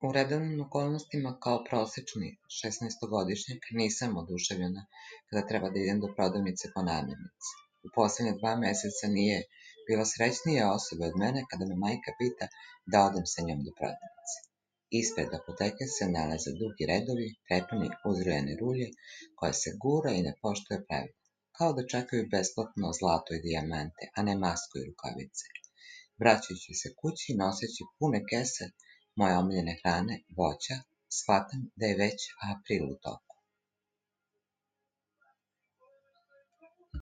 U redovnim okolnostima kao prosečni 16-godišnjak nisam oduševljena kada treba da idem do prodavnice po namirnice. U poslednja 2 meseca nije bila srećnija osoba od mene kada me majka pita da odem sa njom do prodavnice. Ispred apoteke se nalaze dugi redovi, prepuni uzrujane rulje, koja se gura i ne poštuje pravila, kao da čekaju besplatno zlato i dijamante, a ne masku i rukavice. Vraćajući se kući, noseći pune kese moje omiljene hrane, voća, shvatam da je već april u toku.